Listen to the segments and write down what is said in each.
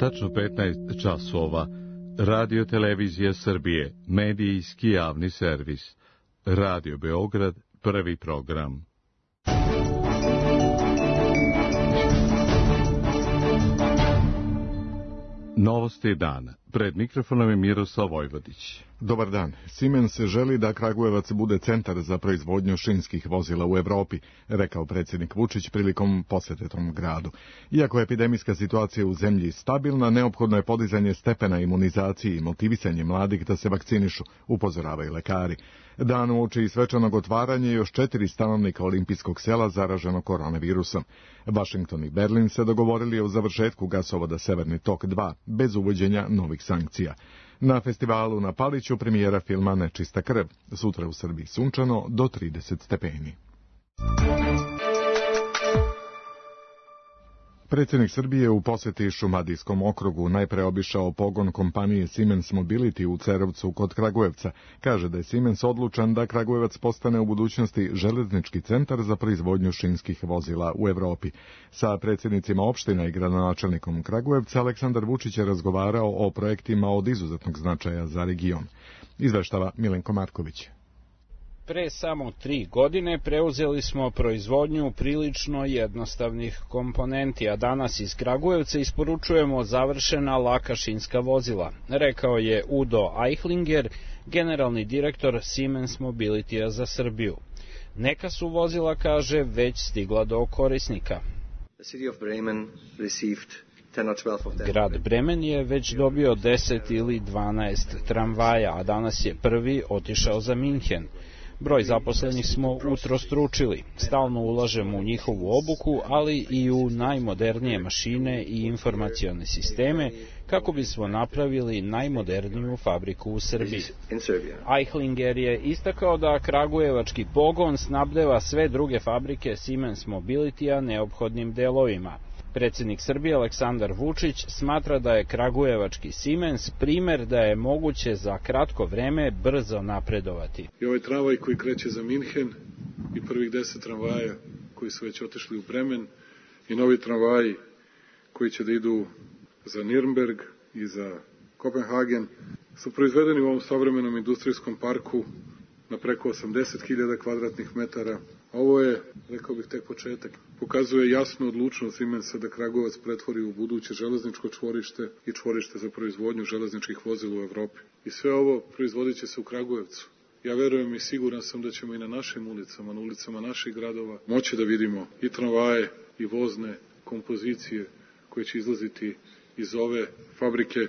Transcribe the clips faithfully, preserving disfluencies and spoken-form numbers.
Tačno petnaest časova. Radio Televizija Srbije, medijski javni servis. Radio Beograd, prvi program. Novosti dana. Pred mikrofonom je Miroslav Vojvodić. Dobar dan. Siemens želi da Kragujevac bude centar za proizvodnju šinskih vozila u Evropi, rekao predsjednik Vučić prilikom posjete tom gradu. Iako je epidemijska situacija u zemlji stabilna, neophodno je podizanje stepena imunizacije i motivisanje mladih da se vakcinišu, upozoravaju lekari. Dan uoči i svečanog otvaranja još četiri stanovnika olimpijskog sela zaraženo koronavirusom. Washington i Berlin se dogovorili o završetku gasovoda Severni tok dva, bez uvođenja novih sankcija. Na festivalu na Paliću premijera filma Nečista krv. Sutra u Srbiji sunčano do trideset stepeni. Predsjednik Srbije u posjeti Šumadijskom okrugu najpre obišao pogon kompanije Siemens Mobility u Cerovcu kod Kragujevca. Kaže da je Siemens odlučan da Kragujevac postane u budućnosti železnički centar za proizvodnju šinskih vozila u Evropi. Sa predsjednicima opština i gradonačelnikom Kragujevca Aleksandar Vučić je razgovarao o projektima od izuzetnog značaja za region. Izveštava Milenko Marković. Pre samo tri godine preuzeli smo proizvodnju prilično jednostavnih komponenti, a danas iz Kragujevca isporučujemo završena laka šinska vozila, rekao je Udo Eichlinger, generalni direktor Siemens Mobility-a za Srbiju. Neka su vozila, kaže, već stigla do korisnika. Grad Bremen je već dobio deset ili dvanaest tramvaja, a danas je prvi otišao za Minhen. Broj zaposlenih smo utrostručili. Stalno ulažemo u njihovu obuku, ali i u najmodernije mašine i informacione sisteme, kako bismo napravili najmoderniju fabriku u Srbiji. Eichlinger je istakao da kragujevački pogon snabdeva sve druge fabrike Siemens Mobility-a neophodnim delovima. Predsjednik Srbije Aleksandar Vučić smatra da je kragujevački Siemens primer da je moguće za kratko vreme brzo napredovati. I ovaj tramvaj koji kreće za Minhen i prvih deset tramvaja koji su već otišli u Bremen i novi tramvaji koji će da idu za Nürnberg i za Kopenhagen su proizvedeni u ovom savremenom industrijskom parku na preko osamdeset hiljada kvadratnih metara. Ovo je, rekao bih, tek početak. Pokazuje jasnu odlučnost Siemensa da Kragujevac pretvori u buduće železničko čvorište i čvorište za proizvodnju železničkih vozila u Evropi. I sve ovo proizvodit će se u Kragujevcu. Ja verujem i siguran sam da ćemo i na našim ulicama, na ulicama naših gradova, moći da vidimo i tramvaje i vozne kompozicije koje će izlaziti iz ove fabrike.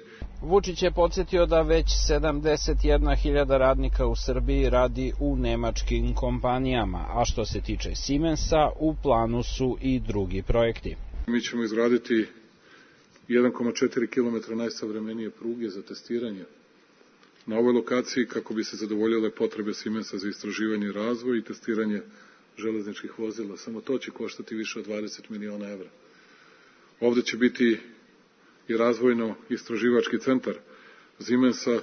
Vučić je podsjetio da već sedamdeset jedna hiljada radnika u Srbiji radi u nemačkim kompanijama, a što se tiče Siemensa, u planu su i drugi projekti. Mi ćemo izgraditi jedan zarez četiri kilometra najsavremenije pruge za testiranje na ovoj lokaciji kako bi se zadovoljile potrebe Siemensa za istraživanje i razvoj i testiranje železničkih vozila. Samo to će koštati više od dvadeset miliona evra. Ovde će biti i razvojno-istraživački centar Siemensa,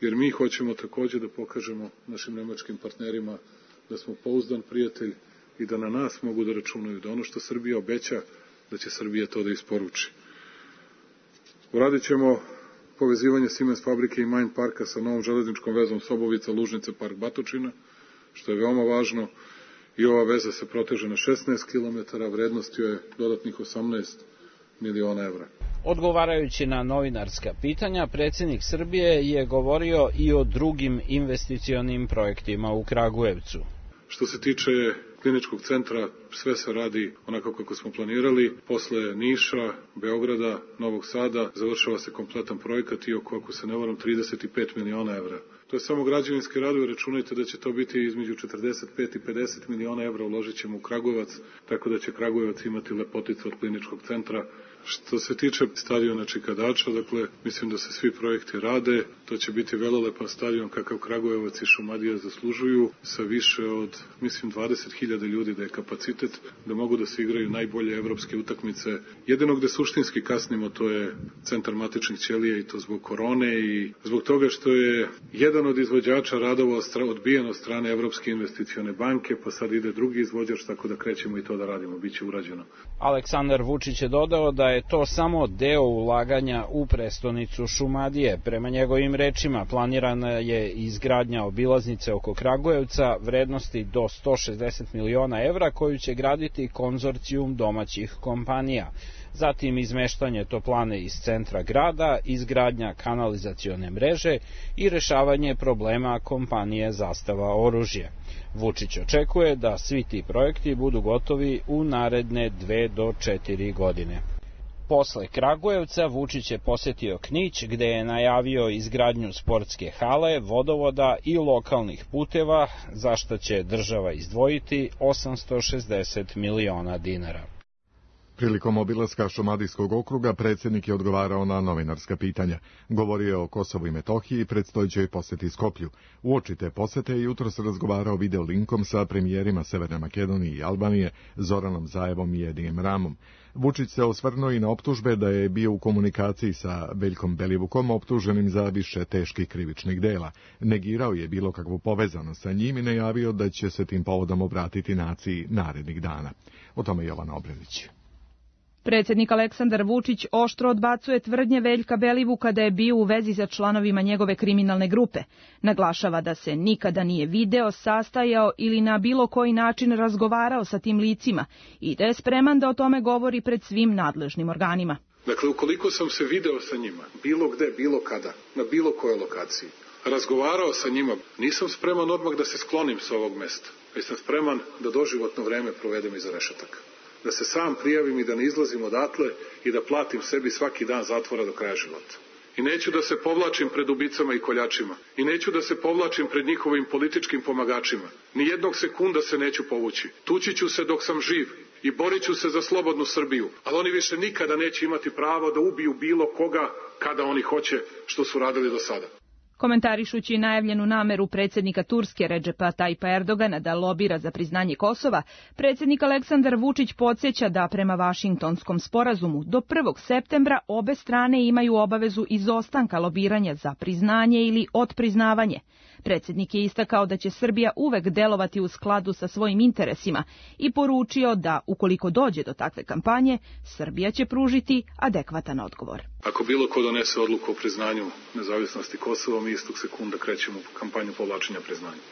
jer mi hoćemo također da pokažemo našim nemačkim partnerima da smo pouzdan prijatelj i da na nas mogu da računaju, da ono što Srbija obeća, da će Srbija to da isporuči. Uradit ćemo povezivanje Siemens fabrike i Main parka sa novom železničkom vezom Sobovica, Lužnice, Park Batočina, što je veoma važno, i ova veza se proteže na šesnaest kilometara, vrednost joj je dodatnih osamnaest miliona evra. Odgovarajući na novinarska pitanja, predsjednik Srbije je govorio i o drugim investicionim projektima u Kragujevcu. Što se tiče kliničkog centra, sve se radi onako kako smo planirali. Posle Niša, Beograda, Novog Sada završava se kompletan projekat i oko, ako se ne varam, trideset pet miliona evra. To je samo građevinski radovi, računajte da će to biti između četrdeset pet i pedeset miliona evra uložit ćemo u Kragujevac, tako da će Kragujevac imati lepoticu od kliničkog centra. Što se tiče stadiona Čikadača, dakle, mislim da se svi projekti rade, to će biti velelepan stadion kakav Kragujevac i Šumadija zaslužuju, sa više od, mislim, dvadeset hiljada ljudi da je kapacitet, da mogu da se igraju najbolje evropske utakmice. Jedino gde suštinski kasnimo, to je centar matičnih ćelija i to zbog korone i zbog toga što je jedan jedan od izvođača radova odbijen od strane Evropske investicione banke, pa sad ide drugi izvođač, tako da krećemo i to da radimo, bit će urađeno. Aleksandar Vučić je dodao da je to samo deo ulaganja u prestonicu Šumadije. Prema njegovim rečima planirana je izgradnja obilaznice oko Kragujevca vrednosti do sto šezdeset miliona evra koju će graditi konzorcijum domaćih kompanija. Zatim izmeštanje toplane iz centra grada, izgradnja kanalizacione mreže i rešavanje problema kompanije Zastava oružje. Vučić očekuje da svi ti projekti budu gotovi u naredne dve do četiri godine. Posle Kragujevca Vučić je posetio Knić, gde je najavio izgradnju sportske hale, vodovoda i lokalnih puteva, za što će država izdvojiti osamsto šezdeset miliona dinara. Prilikom obilaska Šumadijskog okruga predsjednik je odgovarao na novinarska pitanja. Govorio je o Kosovu i Metohiji i predstojećoj poseti Skoplju. Uoči te posete je jutros razgovarao video linkom sa premijerima Severne Makedonije i Albanije, Zoranom Zaevom i Edijem Ramom. Vučić se osvrnuo i na optužbe da je bio u komunikaciji sa Veljkom Belivukom, optuženim za više teških krivičnih dela. Negirao je bilo kakvu povezanost sa njim i najavio da će se tim povodom obratiti naciji narednih dana. O tome Jovana Obredić. Predsjednik Aleksandar Vučić oštro odbacuje tvrdnje Veljka Belivuka da je bio u vezi sa članovima njegove kriminalne grupe. Naglašava da se nikada nije video, sastajao ili na bilo koji način razgovarao sa tim licima i da je spreman da o tome govori pred svim nadležnim organima. Dakle, ukoliko sam se video sa njima, bilo gde, bilo kada, na bilo kojoj lokaciji, razgovarao sa njima, nisam spreman odmah da se sklonim sa ovog mesta, već sam spreman da doživotno vreme provedem iza rešetaka. Da se sam prijavim i da ne izlazim odatle i da platim sebi svaki dan zatvora do kraja života. I neću da se povlačim pred ubicama i koljačima. I neću da se povlačim pred njihovim političkim pomagačima. Ni jednog sekunda se neću povući. Tući ću se dok sam živ i borit ću se za slobodnu Srbiju. Ali oni više nikada neće imati pravo da ubiju bilo koga kada oni hoće, što su radili do sada. Komentarišući najavljenu nameru predsjednika Turske Redžepa Tajpa Erdogana da lobira za priznanje Kosova, predsjednik Aleksandar Vučić podsjeća da prema Vašingtonskom sporazumu do prvog septembra obe strane imaju obavezu izostanka lobiranja za priznanje ili otpriznavanje. Predsjednik je istakao da će Srbija uvek delovati u skladu sa svojim interesima i poručio da, ukoliko dođe do takve kampanje, Srbija će pružiti adekvatan odgovor. Ako bilo ko donese odluku o priznanju nezavisnosti Kosova, mi istog sekunda krećemo u kampanju povlačenja priznanja.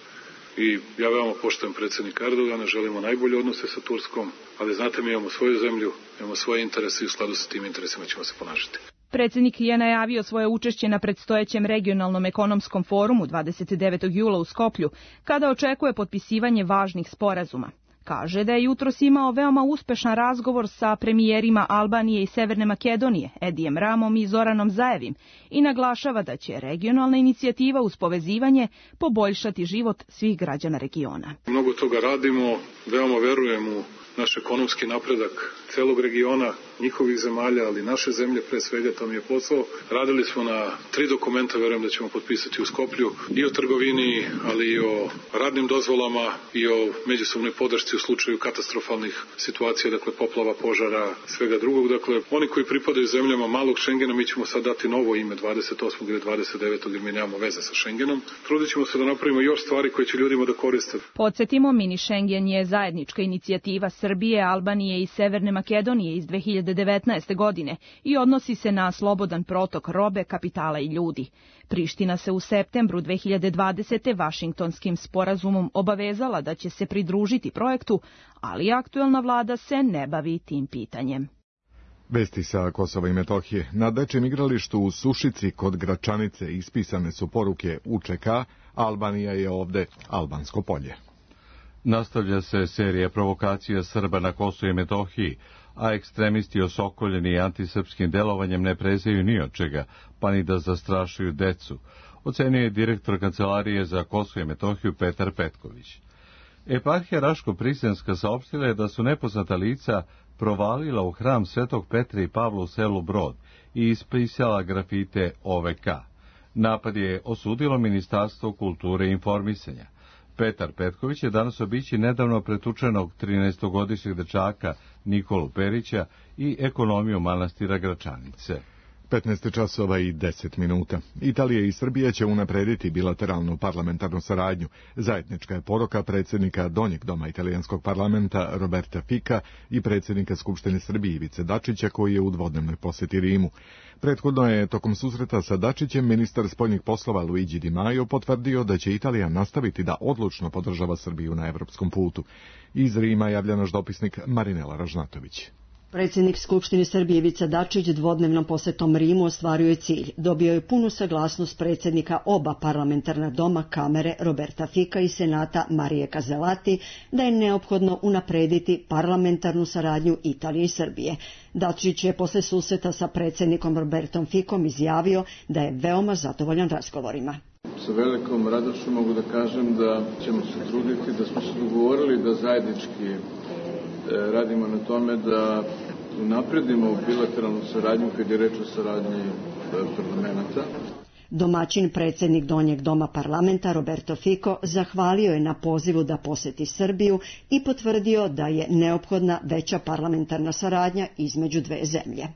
I ja veoma poštujem predsjednika Erdogana, želimo najbolje odnose sa Turskom, ali znate, mi imamo svoju zemlju, imamo svoje interese i u skladu sa tim interesima ćemo se ponašati. Predsjednik je najavio svoje učešće na predstojećem regionalnom ekonomskom forumu dvadeset devetog jula u Skoplju, kada očekuje potpisivanje važnih sporazuma. Kaže da je jutros imao veoma uspešan razgovor sa premijerima Albanije i Severne Makedonije, Edijem Ramom i Zoranom Zaevim, i naglašava da će regionalna inicijativa uz povezivanje poboljšati život svih građana regiona. Mnogo toga radimo, veoma verujem u naš ekonomski napredak celog regiona, njihovih zemalja, ali naše zemlje pre svega, to mi je posao. Radili smo na tri dokumenta, verujem da ćemo potpisati u Skoplju, i o trgovini, ali i o radnim dozvolama i o međusobnoj podršci u slučaju katastrofalnih situacija, dakle poplava, požara, svega drugog. Dakle, oni koji pripadaju zemljama malog Šengena, mi ćemo sad dati novo ime dvadeset osmog ili dvadeset devetog jer mi nemamo veze sa Šengenom. Trudit ćemo se da napravimo još stvari koje će ljudima da koriste. Podsjetimo, mini Šengen je zajednička inicijativa Srbije, Albanije i Severne Makedonije iz dve hiljade devetnaeste. godine i odnosi se na slobodan protok robe, kapitala i ljudi. Priština se u septembru dve hiljade dvadesete. Vašingtonskim sporazumom obavezala da će se pridružiti projektu, ali aktuelna vlada se ne bavi tim pitanjem. Vesti sa Kosova i Metohije. Na dečjem igralištu u Sušici kod Gračanice ispisane su poruke U Č K, Albanija je ovde, albansko polje. Nastavlja se serija provokacija Srba na Kosovu i Metohiji, a ekstremisti osokoljeni antisrpskim delovanjem ne prezaju ni od čega, pa ni da zastrašuju decu, ocenio je direktor Kancelarije za Kosovo i Metohiju Petar Petković. Eparhija Raško-Prisenska saopštila je da su nepoznata lica provalila u hram Svetog Petra i Pavla u selu Brod i ispisala grafite O V K. Napad je osudilo Ministarstvo kulture i informisanja. Petar Petković je danas obići nedavno pretučenog trinaestogodišnjeg dečaka Nikolu Perića i ekonomiju manastira Gračanice. petnaest časova i deset minuta. Italija i Srbija će unaprediti bilateralnu parlamentarnu saradnju. Zajednička je poruka predsjednika Donjeg doma italijanskog parlamenta Roberta Fica i predsjednika Skupštine Srbije Ivice Dačića, koji je u dvodnevnoj posjeti Rimu. Prethodno je tokom susreta sa Dačićem ministar spoljnih poslova Luigi Di Maio potvrdio da će Italija nastaviti da odlučno podržava Srbiju na evropskom putu. Iz Rima javlja naš dopisnik Marinela Ražnatović. Predsjednik Skupštine Srbije Ivica Dačić dvodnevnom posjetom Rimu ostvario je cilj. Dobio je punu saglasnost predsjednika oba parlamentarna doma Kamere Roberta Fica i Senata Marije Kazelati da je neophodno unaprediti parlamentarnu saradnju Italije i Srbije. Dačić je posle susreta sa predsjednikom Robertom Ficom izjavio da je veoma zadovoljan razgovorima. Sa velikom radošću mogu da kažem da ćemo se truditi, da smo se dogovorili da zajednički radimo na tome da unapredimo bilateralnu saradnju kad je reč o saradnji parlamenta. Domaćin predsjednik Donjeg doma parlamenta Roberto Fico zahvalio je na pozivu da posjeti Srbiju i potvrdio da je neophodna veća parlamentarna saradnja između dve zemlje.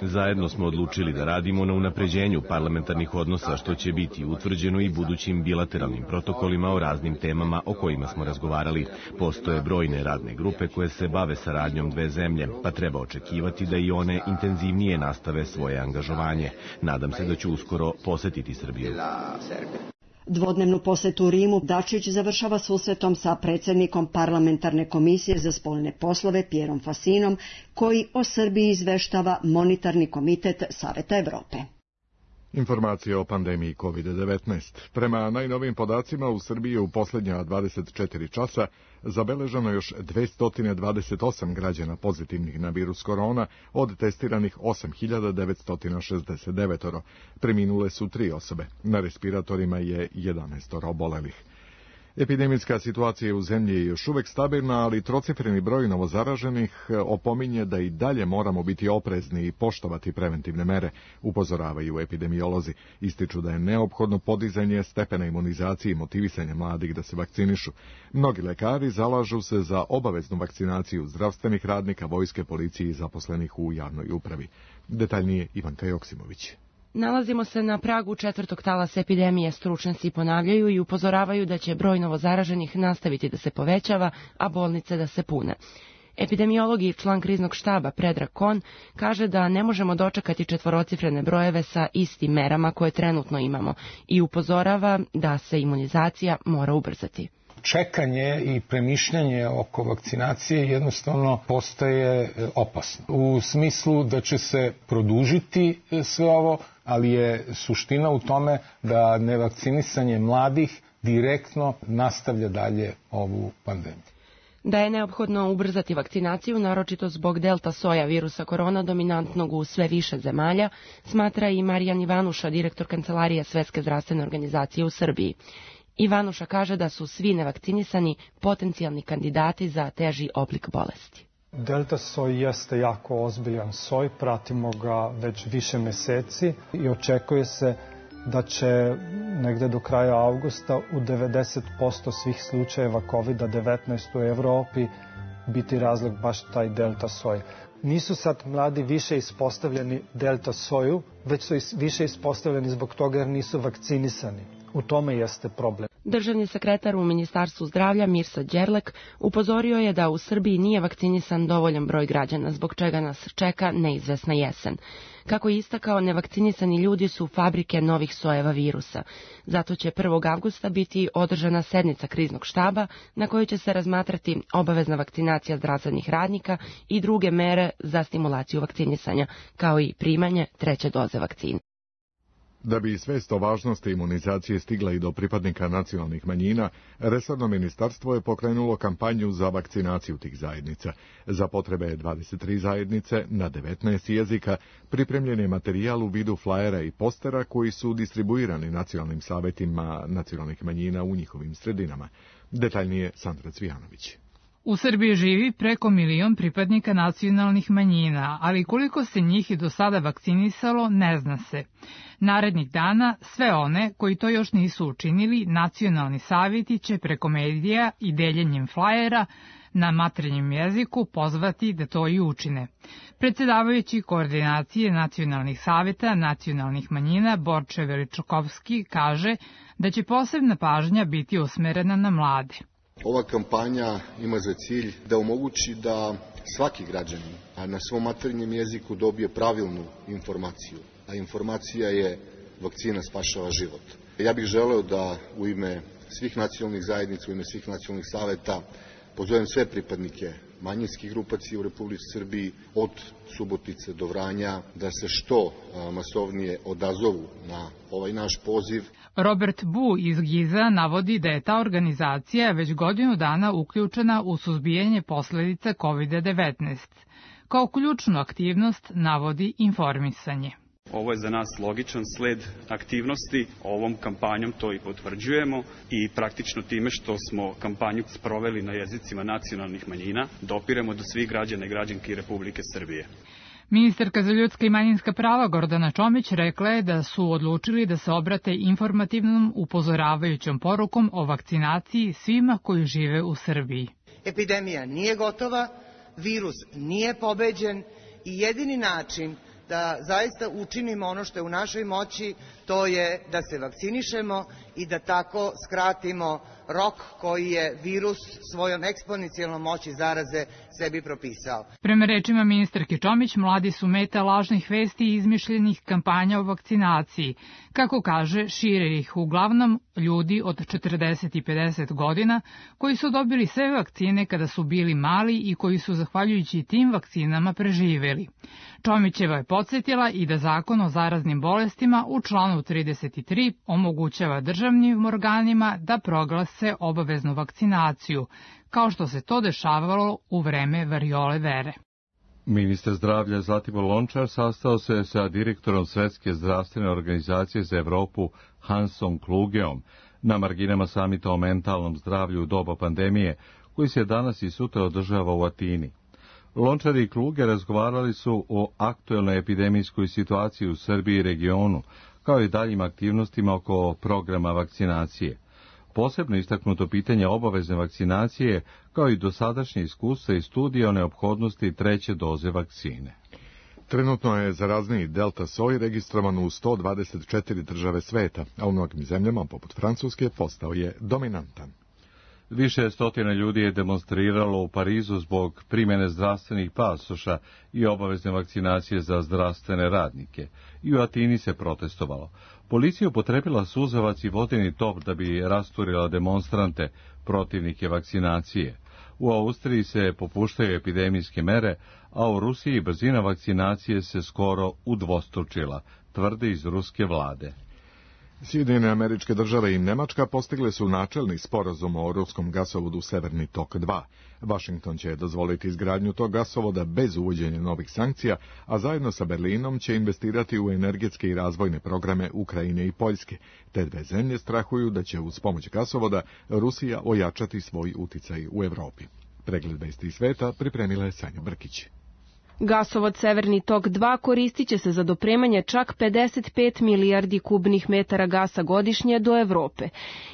Zajedno smo odlučili da radimo na unapređenju parlamentarnih odnosa, što će biti utvrđeno i budućim bilateralnim protokolima o raznim temama o kojima smo razgovarali. Postoje brojne radne grupe koje se bave saradnjom dve zemlje, pa treba očekivati da i one intenzivnije nastave svoje angažovanje. Nadam se da ću uskoro posjetiti Srbiju. Dvodnevnu posjetu u Rimu Dačić završava susretom sa predsjednikom parlamentarne komisije za spoljne poslove Pierom Fasinom, koji o Srbiji izveštava Monetarni komitet Saveta Evrope. Informacije o pandemiji kovid devetnaest. Prema najnovijim podacima u Srbiji u posljednja dvadeset četiri časa zabeleženo još dvesta dvadeset osam građana pozitivnih na virus korona, od testiranih osam hiljada devetsto šezdeset devet. Preminule su tri osobe. Na respiratorima je jedanaest obolelih. Epidemijska situacija u zemlji je još uvek stabilna, ali trocifreni broj novozaraženih opominje da i dalje moramo biti oprezni i poštovati preventivne mere, upozoravaju epidemiolozi. Ističu da je neophodno podizanje stepena imunizacije i motivisanje mladih da se vakcinišu. Mnogi lekari zalažu se za obaveznu vakcinaciju zdravstvenih radnika, vojske, policije i zaposlenih u javnoj upravi. Detaljnije Ivanka Joksimović. Nalazimo se na pragu četvrtog talasa epidemije, stručnjaci ponavljaju i upozoravaju da će broj novozaraženih nastaviti da se povećava, a bolnice da se pune. Epidemiolog i član kriznog štaba Predrag Kon kaže da ne možemo dočekati četvorocifrene brojeve sa istim merama koje trenutno imamo i upozorava da se imunizacija mora ubrzati. Čekanje i premišljanje oko vakcinacije jednostavno postaje opasno. U smislu da će se produžiti sve ovo, ali je suština u tome da nevakcinisanje mladih direktno nastavlja dalje ovu pandemiju. Da je neophodno ubrzati vakcinaciju, naročito zbog delta soja virusa korona dominantnog u sve više zemalja, smatra i Marijan Ivanuša, direktor Kancelarije Svetske zdravstvene organizacije u Srbiji. Ivanuša kaže da su svi nevakcinisani potencijalni kandidati za teži oblik bolesti. Delta soj jeste jako ozbiljan soj, pratimo ga već više meseci i očekuje se da će negde do kraja avgusta u devedeset posto svih slučajeva kovid devetnaest u Evropi biti razlog baš taj delta soj. Nisu sad mladi više ispostavljeni delta soju, već su više ispostavljeni zbog toga jer nisu vakcinisani. U tome jeste problem. Državni sekretar u Ministarstvu zdravlja Mirsa Đerlek upozorio je da u Srbiji nije vakcinisan dovoljan broj građana, zbog čega nas čeka neizvesna jesen. Kako je istakao, nevakcinisani ljudi su fabrike novih sojeva virusa. Zato će prvog avgusta biti održana sednica kriznog štaba na kojoj će se razmatrati obavezna vakcinacija zdravstvenih radnika i druge mere za stimulaciju vakcinisanja, kao i primanje treće doze vakcine. Da bi svest o važnosti imunizacije stigla i do pripadnika nacionalnih manjina, resorno ministarstvo je pokrenulo kampanju za vakcinaciju tih zajednica. Za potrebe dvadeset tri zajednice na devetnaest jezika pripremljen je materijal u vidu flajera i postera koji su distribuirani nacionalnim savetima nacionalnih manjina u njihovim sredinama. Detaljnije Sandra Cvijanović. U Srbiji živi preko milion pripadnika nacionalnih manjina, ali koliko se njih i do sada vakcinisalo ne zna se. Narednih dana sve one koji to još nisu učinili, nacionalni savjeti će preko medija i deljenjem flajera na maternjem jeziku pozvati da to i učine. Predsedavajući koordinacije nacionalnih savjeta nacionalnih manjina Borče Veličkovski kaže da će posebna pažnja biti usmerena na mlade. Ova kampanja ima za cilj da omogući da svaki građanin na svom maternjem jeziku dobije pravilnu informaciju, a informacija je vakcina spašava život. Ja bih želeo da u ime svih nacionalnih zajednica, u ime svih nacionalnih saveta pozovem sve pripadnike manjinskih grupacija u Republici Srbiji od Subotice do Vranja da se što masovnije odazovu na ovaj naš poziv. Robert Bu iz Giza navodi da je ta organizacija već godinu dana uključena u suzbijanje posledica kovid devetnaest. Kao ključnu aktivnost navodi informisanje. Ovo je za nas logičan sled aktivnosti, ovom kampanjom to i potvrđujemo i praktično time što smo kampanju sproveli na jezicima nacionalnih manjina, dopiremo do svih građana i građanki Republike Srbije. Ministarka za ljudska i manjinska prava Gordana Čomić rekla je da su odlučili da se obrate informativnom upozoravajućom porukom o vakcinaciji svima koji žive u Srbiji. Epidemija nije gotova, virus nije pobeđen i jedini način da zaista učinimo ono što je u našoj moći, to je da se vakcinišemo i da tako skratimo rok koji je virus svojom eksponencijalnom moći zaraze sebi propisao. Prema rečima ministarke Čomić, mladi su meta lažnih vesti i izmišljenih kampanja o vakcinaciji. Kako kaže, šire ih uglavnom ljudi od četrdeset i pedeset godina koji su dobili sve vakcine kada su bili mali i koji su zahvaljujući tim vakcinama preživeli. Čomićeva je podsjetila i da Zakon o zaraznim bolestima u članu trideset tri omogućava državnim organima da proglase obaveznu vakcinaciju, kao što se to dešavalo u vreme variole vere. Ministar zdravlja Zlatibor Lončar sastao se sa direktorom Svetske zdravstvene organizacije za Evropu Hansom Klugeom na marginama samita o mentalnom zdravlju u doba pandemije, koji se danas i sutra održava u Atini. Lončar i Kluge razgovarali su o aktuelnoj epidemijskoj situaciji u Srbiji i regionu, kao i daljim aktivnostima oko programa vakcinacije. Posebno istaknuto pitanje obavezne vakcinacije, kao i dosadašnje iskustva i studije o neophodnosti treće doze vakcine. Trenutno je zarazniji delta soj registrovan u sto dvadeset četiri države sveta, a u mnogim zemljama, poput Francuske, postao je dominantan. Više stotina ljudi je demonstriralo u Parizu zbog primjene zdravstvenih pasoša i obavezne vakcinacije za zdravstvene radnike. I u Atini se protestovalo. Policija upotrebila suzavac i vodeni top da bi rasturila demonstrante, protivnike vakcinacije. U Austriji se popuštaju epidemijske mere, a u Rusiji brzina vakcinacije se skoro udvostručila, tvrde iz ruske vlade. Sjedinjene Američke Države i Nemačka postigle su načelni sporazum o ruskom gasovodu Severni tok dva. Vašington će dozvoliti izgradnju tog gasovoda bez uvođenja novih sankcija, a zajedno sa Berlinom će investirati u energetske i razvojne programe Ukrajine i Poljske. Te dve zemlje strahuju da će uz pomoć gasovoda Rusija ojačati svoj uticaj u Evropi. Pregled vesti sveta pripremila je Sanja Brkić. Gasovod Severni tok dva koristit će se za dopremanje čak pedeset pet milijardi kubnih metara gasa godišnje do Evrope.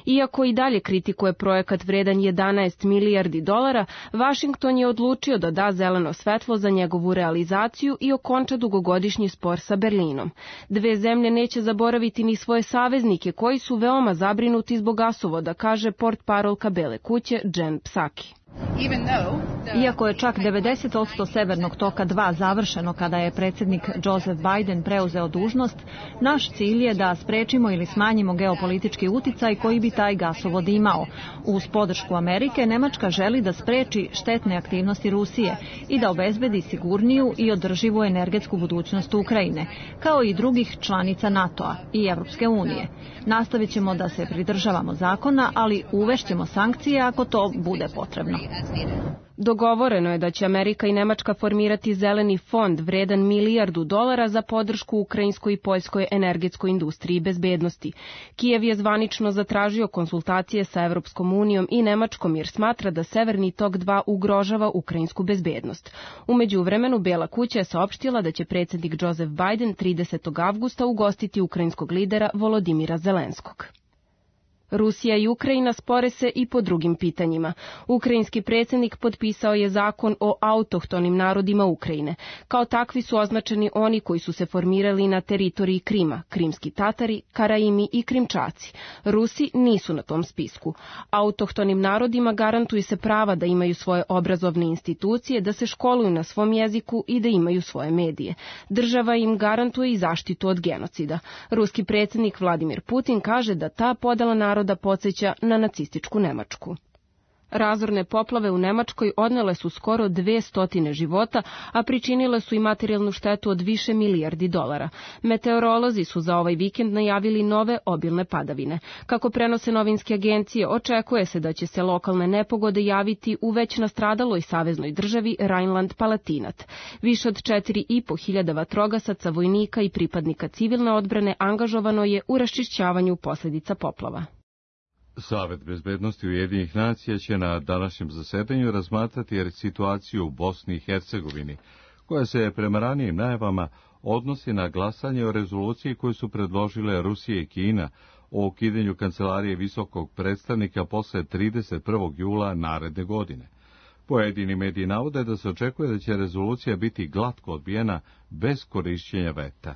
Iako i dalje kritikuje projekat vredan jedanaest milijardi dolara, Vašington je odlučio da da zeleno svetlo za njegovu realizaciju i okonča dugogodišnji spor sa Berlinom. Dve zemlje neće zaboraviti ni svoje saveznike koji su veoma zabrinuti zbog gasovoda, kaže portparolka Bele kuće Jen Psaki. Iako je čak devedeset posto Severnog toka dva završeno kada je predsjednik Joseph Biden preuzeo dužnost, naš cilj je da sprečimo ili smanjimo geopolitički uticaj koji bi taj gasovod imao. Uz podršku Amerike, Nemačka želi da spreči štetne aktivnosti Rusije i da obezbedi sigurniju i održivu energetsku budućnost Ukrajine, kao i drugih članica NATO-a i Evropske unije. Nastavit ćemo da se pridržavamo zakona, ali uvešćemo sankcije ako to bude potrebno. Dogovoreno je da će Amerika i Nemačka formirati zeleni fond vredan milijardu dolara za podršku ukrajinskoj i poljskoj energetskoj industriji i bezbednosti. Kijev je zvanično zatražio konsultacije sa Evropskom unijom i Nemačkom jer smatra da Severni tok dva ugrožava ukrajinsku bezbednost. U međuvremenu Bela kuća je saopštila da će predsjednik Joseph Biden tridesetog avgusta ugostiti ukrajinskog lidera Volodimira Zelenskog. Rusija i Ukrajina spore se i po drugim pitanjima. Ukrajinski predsjednik potpisao je zakon o autohtonim narodima Ukrajine. Kao takvi su označeni oni koji su se formirali na teritoriji Krima, krimski Tatari, Karaimi i Krimčaci. Rusi nisu na tom spisku. Autohtonim narodima garantuje se prava da imaju svoje obrazovne institucije, da se školuju na svom jeziku i da imaju svoje medije. Država im garantuje i zaštitu od genocida. Ruski predsjednik Vladimir Putin kaže da ta podela naroda da podsjeća na nacističku Nemačku. Razorne poplave u Nemačkoj odnele su skoro dve stotine života, a pričinile su i materijalnu štetu od više milijardi dolara. Meteorolozi su za ovaj vikend najavili nove obilne padavine. Kako prenose novinske agencije, očekuje se da će se lokalne nepogode javiti u već nastradaloj saveznoj državi Rajnland-Palatinat. Više od četiri i po hiljada vatrogasaca, vojnika i pripadnika civilne odbrane angažovano je u raščišćavanju posljedica poplava. Savet bezbednosti Ujedinjenih nacija će na današnjem zasedanju razmatrati situaciju u Bosni i Hercegovini, koja se prema ranijim najavama odnosi na glasanje o rezoluciji koju su predložile Rusija i Kina o ukidanju kancelarije visokog predstavnika posle trideset prvog jula naredne godine. Pojedini mediji navode da se očekuje da će rezolucija biti glatko odbijena bez korišćenja veta.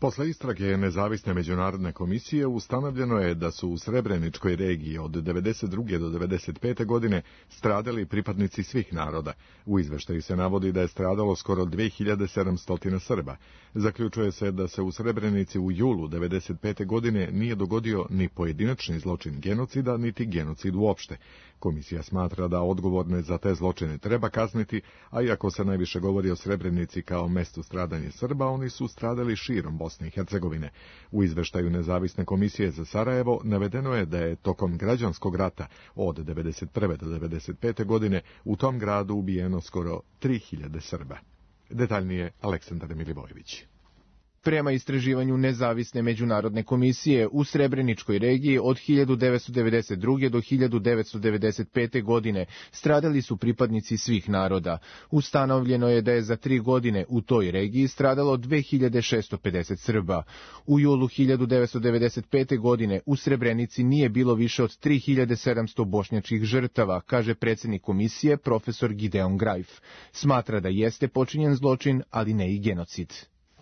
Posle istrage nezavisne međunarodne komisije ustanovljeno je da su u Srebreničkoj regiji od devedeset druge do devedeset pete godine stradali pripadnici svih naroda. U izveštaju se navodi da je stradalo skoro dve hiljade sedamsto Srba. Zaključuje se da se u Srebrenici u julu devedeset pete godine nije dogodio ni pojedinačni zločin genocida, niti genocid uopšte. Komisija smatra da odgovorne za te zločine treba kazniti, a iako se najviše govori o Srebrenici kao mestu stradanja Srba, oni su stradali širom Bosne i Hercegovine. U izveštaju Nezavisne komisije za Sarajevo navedeno je da je tokom građanskog rata od devedeset prve do devedeset pete godine u tom gradu ubijeno skoro tri hiljade Srba. Detaljnije Aleksandar Milivojević. Prema istraživanju Nezavisne međunarodne komisije, u Srebreničkoj regiji od hiljadu devetsto devedeset druge do hiljadu devetsto devedeset pete godine stradali su pripadnici svih naroda. Ustanovljeno je da je za tri godine u toj regiji stradalo dve hiljade šesto pedeset Srba. U julu hiljadu devetsto devedeset pete godine u Srebrenici nije bilo više od tri hiljade sedamsto bošnjačkih žrtava, kaže predsjednik komisije profesor Gideon Grajf. Smatra da jeste počinjen zločin, ali ne i genocid.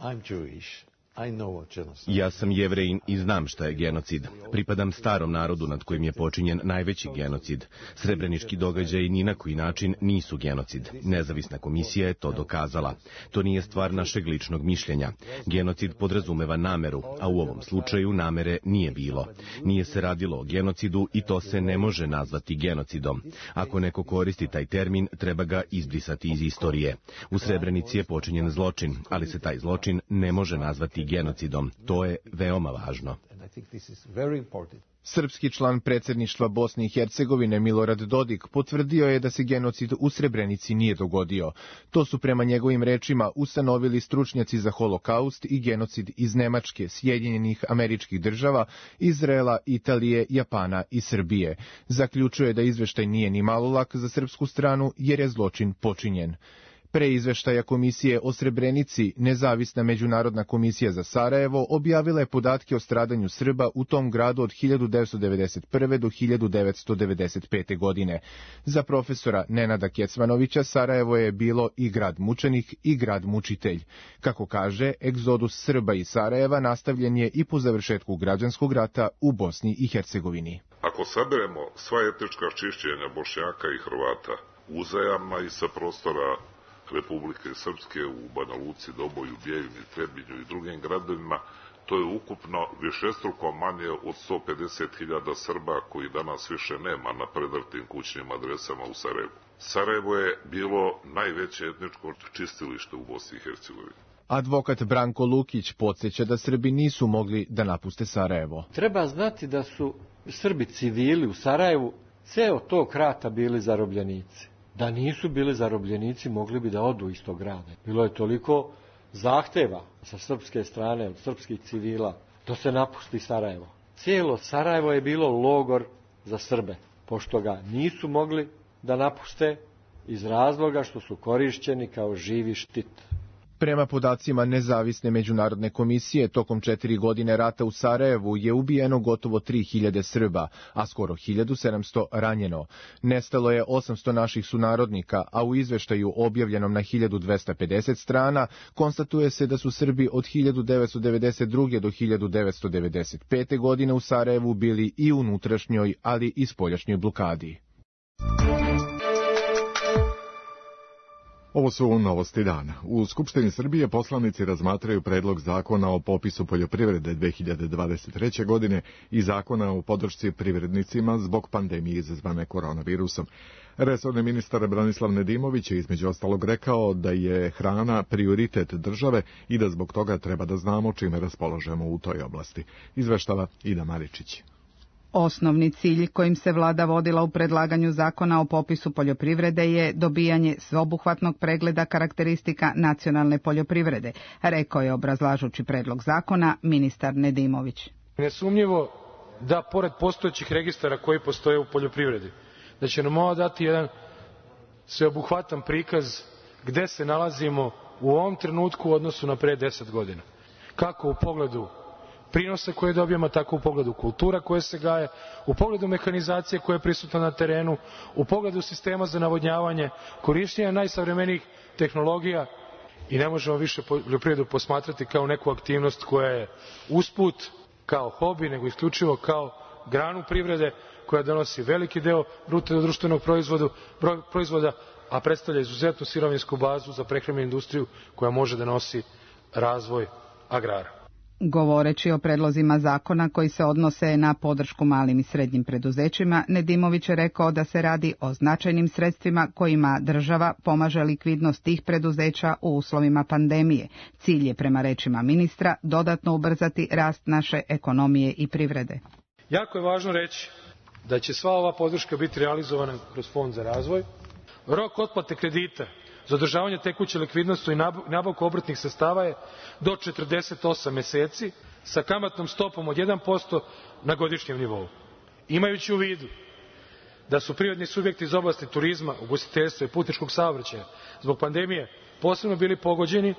I'm Jewish. I know what genocide. Ja sam Jevrejin i znam šta je genocid. Pripadam starom narodu nad kojim je počinjen najveći genocid. Srebrenički događaji ni na koji način nisu genocid. Nezavisna komisija je to dokazala. To nije stvar našeg ličnog mišljenja. Genocid podrazumeva nameru, a u ovom slučaju namere nije bilo. Nije se radilo o genocidu i to se ne može nazvati genocidom. Ako neko koristi taj termin, treba ga izbrisati iz istorije. U Srebrenici je počinjen zločin, ali se taj zločin ne može nazvati genocidom. To je veoma važno. Srpski član predsjedništva Bosne i Hercegovine Milorad Dodik potvrdio je da se genocid u Srebrenici nije dogodio. To su prema njegovim rečima ustanovili stručnjaci za holokaust i genocid iz Nemačke, Sjedinjenih Američkih Država, Izraela, Italije, Japana i Srbije. Zaključuje da izveštaj nije ni malo lak za srpsku stranu jer je zločin počinjen. Pre izveštaja komisije o Srebrenici, Nezavisna međunarodna komisija za Sarajevo objavila je podatke o stradanju Srba u tom gradu od hiljadu devetsto devedeset prve do hiljadu devetsto devedeset pete godine. Za profesora Nenada Kecmanovića Sarajevo je bilo i grad mučenik i grad mučitelj. Kako kaže, egzodus Srba iz Sarajeva nastavljen je i po završetku građanskog rata u Bosni i Hercegovini. Ako saberemo sva etnička čišćenja Bošnjaka i Hrvata uzajamna i sa prostora Republike Srpske u Banja Luci, Doboju, Bijeljini, Trebinju i drugim gradovima, to je ukupno višestruko manje od sto pedeset hiljada Srba koji danas više nema na predrtim kućnim adresama u Sarajevu. Sarajevo je bilo najveće etničko čistilište u Bosni i Hercegovini. Advokat Branko Lukić podsjeća da Srbi nisu mogli da napuste Sarajevo. Treba znati da su Srbi civili u Sarajevu ceo tog rata bili zarobljenici. Da nisu bili zarobljenici, mogli bi da odu iz tog grada. Bilo je toliko zahteva sa srpske strane, od srpskih civila, da se napusti Sarajevo. Cijelo Sarajevo je bilo logor za Srbe, pošto ga nisu mogli da napuste iz razloga što su korišćeni kao živi štit. Prema podacima nezavisne međunarodne komisije, tokom četiri godine rata u Sarajevu je ubijeno gotovo tri hiljade Srba, a skoro hiljadu sedamsto ranjeno. Nestalo je osamsto naših sunarodnika, a u izveštaju objavljenom na hiljadu dvesta pedeset strana konstatuje se da su Srbi od hiljadu devetsto devedeset druge do hiljadu devetsto devedeset pete godine u Sarajevu bili i unutrašnjoj, ali i spoljašnjoj blokadi. Ovo su novosti dana. U Skupštini Srbije poslanici razmatraju predlog zakona o popisu poljoprivrede dve hiljade dvadeset treće. godine i zakona o podršci privrednicima zbog pandemije izazvane koronavirusom. Resorni ministar Branislav Nedimović je između ostalog rekao da je hrana prioritet države i da zbog toga treba da znamo čime raspolažemo u toj oblasti. Izveštava Ida Maričić. Osnovni cilj kojim se vlada vodila u predlaganju zakona o popisu poljoprivrede je dobijanje sveobuhvatnog pregleda karakteristika nacionalne poljoprivrede, rekao je obrazlažući predlog zakona ministar Nedimović. Nesumnjivo da pored postojećih registara koji postoje u poljoprivredi, da će nam ovo dati jedan sveobuhvatan prikaz gde se nalazimo u ovom trenutku u odnosu na pre deset godina. Kako u pogledu prinosa koje dobijemo, tako u pogledu kultura koje se gaje, u pogledu mehanizacije koja je prisutna na terenu, u pogledu sistema za navodnjavanje, korišćenja najsavremenijih tehnologija i ne možemo više poljoprivredu posmatrati kao neku aktivnost koja je usput, kao hobi, nego isključivo kao granu privrede koja donosi veliki deo bruto društvenog proizvoda, a predstavlja izuzetnu sirovinsku bazu za prehrambenu industriju koja može da nosi razvoj agrara. Govoreći o predlozima zakona koji se odnose na podršku malim i srednjim preduzećima, Nedimović je rekao da se radi o značajnim sredstvima kojima država pomaže likvidnost tih preduzeća u uslovima pandemije. Cilj je, prema rečima ministra, dodatno ubrzati rast naše ekonomije i privrede. Jako je važno reći da će sva ova podrška biti realizovana kroz Fond za razvoj. Rok otplate kredita za održavanje tekuće likvidnosti i nabavku obrtnih sredstava je do četrdeset osam meseci sa kamatnom stopom od jedan posto na godišnjem nivou. Imajući u vidu da su privredni subjekti iz oblasti turizma, ugostiteljstva i putničkog saobraćaja zbog pandemije posebno bili pogođeni,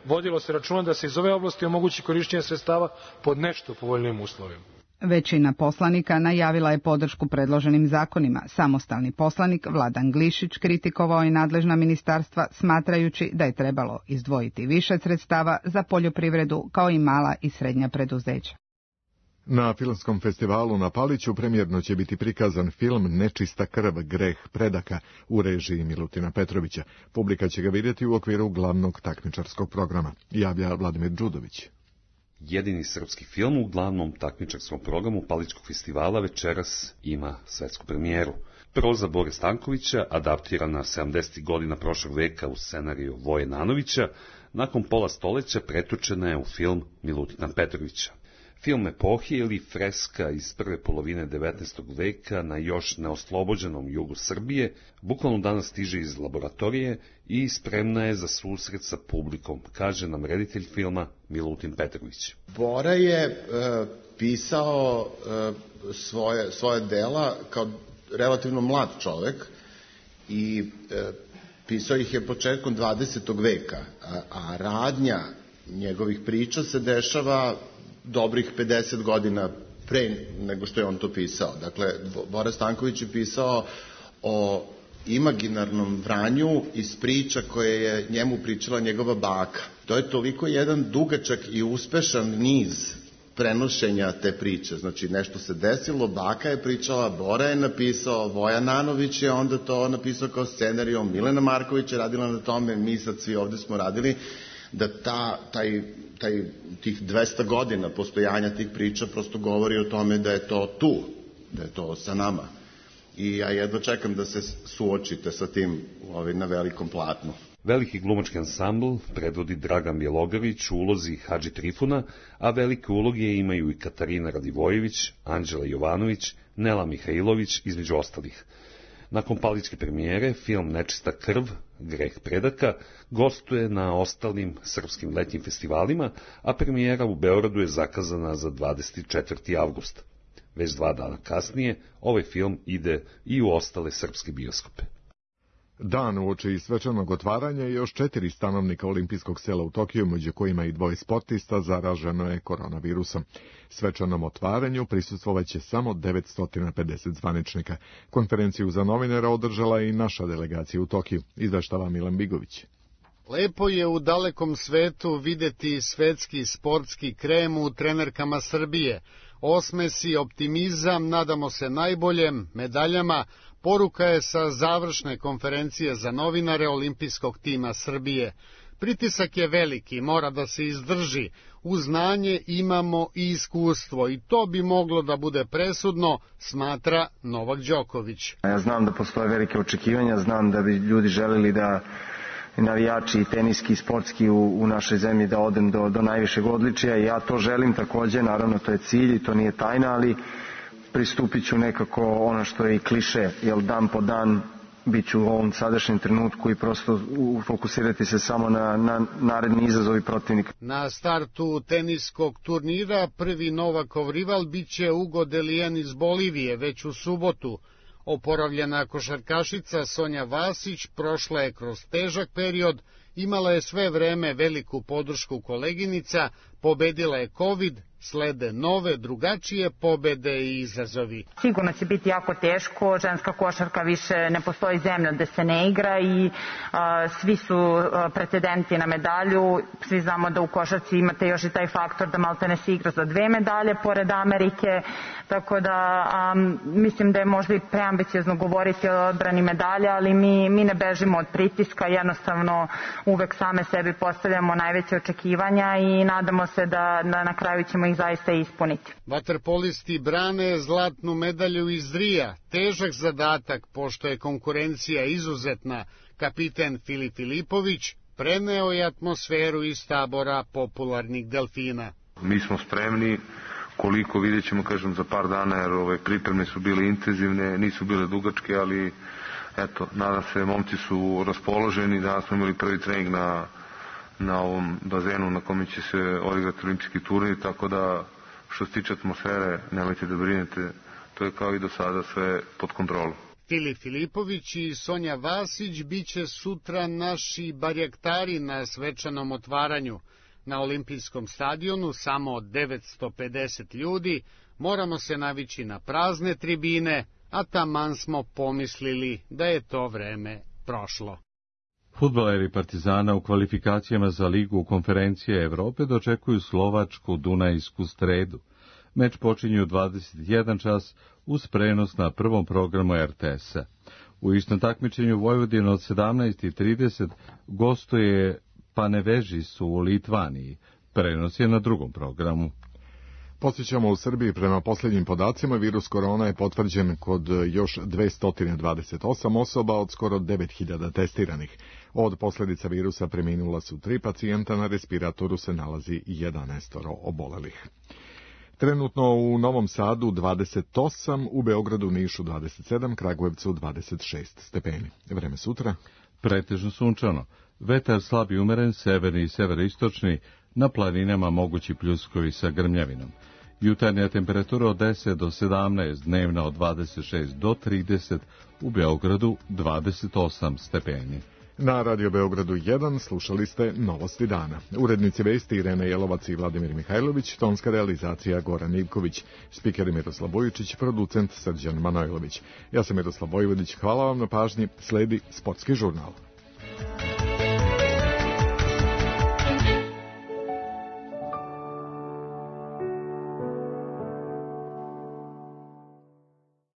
vodilo se računa da se iz ove oblasti omogući korišćenje sredstava pod nešto povoljnijim uslovima. Većina poslanika najavila je podršku predloženim zakonima. Samostalni poslanik Vladan Glišić kritikovao je nadležna ministarstva smatrajući da je trebalo izdvojiti više sredstava za poljoprivredu kao i mala i srednja preduzeća. Na filmskom festivalu na Paliću premijerno će biti prikazan film Nečista krv, greh predaka u režiji Milutina Petrovića. Publika će ga vidjeti u okviru glavnog takmičarskog programa, javlja Vladimir Đudović. Jedini srpski film u glavnom takmičarskom programu Palićkog festivala večeras ima svetsku premijeru. Proza Bore Stankovića, adaptirana sedamdesetih godina prošlog veka u scenariju Voje Nanovića, nakon pola stoleća pretočena je u film Milutina Petrovića. Film epohi ili freska iz prve polovine devetnaestog veka na još neoslobođenom jugu Srbije, bukvalno danas stiže iz laboratorije i spremna je za susret sa publikom, kaže nam reditelj filma Milutin Petrović. Bora je e, pisao e, svoje, svoje dela kao relativno mlad čovek i e, pisao ih je početkom dvadesetog veka, a, a radnja njegovih priča se dešava dobrih pedeset godina pre nego što je on to pisao. Dakle, Bora Stanković je pisao o imaginarnom Vranju iz priča koje je njemu pričala njegova baka. To je toliko jedan dugačak i uspešan niz prenošenja te priče. Znači, nešto se desilo, baka je pričala, Bora je napisao, Voja Nanović je onda to napisao kao scenariju, Milena Marković je radila na tome, mi sad svi ovde smo radili, da ta, taj, taj, tih dvesta godina postojanja tih priča prosto govori o tome da je to tu, da je to sa nama. I ja jedva čekam da se suočite sa tim ovaj, na velikom platnu. Veliki glumački ansambl predvodi Dragan Bjelogrlić u ulozi Hadži Trifuna, a velike uloge imaju i Katarina Radivojević, Anđela Jovanović, Nela Mihajlović, između ostalih. Nakon paličke premijere, film Nečista krv, greh predaka, gostuje na ostalim srpskim letnjim festivalima, a premijera u Beogradu je zakazana za dvadeset četvrti avgust. Već dva dana kasnije, ovaj film ide i u ostale srpske bioskope. Dan uoči svečanog otvaranja i još četiri stanovnika olimpijskog sela u Tokiju, među kojima i dvoje sportista, zaraženo je koronavirusom. Svečanom otvaranju prisustvovaće samo devetsto pedeset zvaničnika. Konferenciju za novinara održala i naša delegacija u Tokiju, izveštava Milan Bigović. Lepo je u dalekom svetu videti svetski sportski krem u trenerkama Srbije. Osmesi, optimizam, nadamo se najboljem, medaljama, poruka je sa završne konferencije za novinare olimpijskog tima Srbije. Pritisak je veliki, mora da se izdrži. Uz znanje imamo i iskustvo i to bi moglo da bude presudno, smatra Novak Đoković. Ja znam da postoje velike očekivanja, znam da bi ljudi želeli da navijači i teniski i sportski u, u našoj zemlji da odem do, do najvišeg odličija i ja to želim takođe, naravno to je cilj i to nije tajna, ali pristupit ću nekako ono što je i kliše, jer dan po dan bit ću u ovom sadašnjem trenutku i prosto fokusirati se samo na, na naredni izazovi protivnika. Na startu teniskog turnira prvi Novakov rival biće Ugo Delijan iz Bolivije već u subotu. Oporavljena košarkašica Sonja Vasić prošla je kroz težak period, imala je sve vreme veliku podršku koleginica, pobedila je COVID, slede nove, drugačije pobede i izazovi. Sigurno će biti jako teško, ženska košarka više ne postoji zemlja gde se ne igra i a, svi su a, pretendenti na medalju, svi znamo da u košarci imate još i taj faktor da malte ne se igra za dve medalje pored Amerike, tako da a, mislim da je možda i preambiciozno govoriti o odbrani medalja, ali mi, mi ne bežimo od pritiska, jednostavno uvek same sebi postavljamo najveće očekivanja i nadamo se da, da na kraju ćemo ih zaista ispuniti. Vaterpolisti brane zlatnu medalju iz Rija, težak zadatak pošto je konkurencija izuzetna. Kapiten Filip Filipović preneo je atmosferu iz tabora popularnih delfina. Mi smo spremni, koliko vidjet ćemo, kažem, za par dana, jer ove pripreme su bile intenzivne, nisu bile dugačke, ali eto, nadam se, momci su raspoloženi, danas smo imali prvi trening na na ovom bazenu na kome će se odigrati olimpijski turnir, tako da što se tiče atmosfere, nemojte da brinete, to je kao i do sada sve pod kontrolom. Filip Filipović i Sonja Vasić biće sutra naši barjaktari na svečanom otvaranju. Na olimpijskom stadionu samo devetsto pedeset ljudi, moramo se navići na prazne tribine, a taman smo pomislili da je to vreme prošlo. Fudbaleri Partizana u kvalifikacijama za Ligu konferencije Evrope dočekuju slovačku Dunajsku Stredu. Meč počinje u dvadeset jedan čas uz prenos na prvom programu er te esa. U istom takmičenju Vojvodina od sedamnaest i trideset gostuje Panevežisu u Litvaniji. Prenos je na drugom programu. Podsjećamo, u Srbiji prema posljednjim podacima virus korona je potvrđen kod još dvesta dvadeset osam osoba od skoro devet hiljada testiranih. Od posljedica virusa preminula su tri pacijenta, na respiratoru se nalazi jedanaest obolelih. Trenutno u Novom Sadu dvadeset osam, u Beogradu, Nišu dvadeset sedam, Kragujevcu dvadeset šest stepeni. Vreme sutra? Pretežno sunčano. Vetar slab i umeren, severni i severoistočni, na planinama mogući pljuskovi sa grmljavinom. Jutarnja temperatura od deset do sedamnaest, dnevna od dvadeset šest do trideset, u Beogradu dvadeset osam stepeni. Na Radio Beogradu jedan slušali ste Novosti dana. Urednici vesti Irena Jelovac i Vladimir Mihajlović, tonska realizacija Goran Ivković, spiker Miroslav Bojičić, producent Srđan Manojlović. Ja sam Miroslav Vojvodić, hvala vam na pažnji, sledi Sportski žurnal.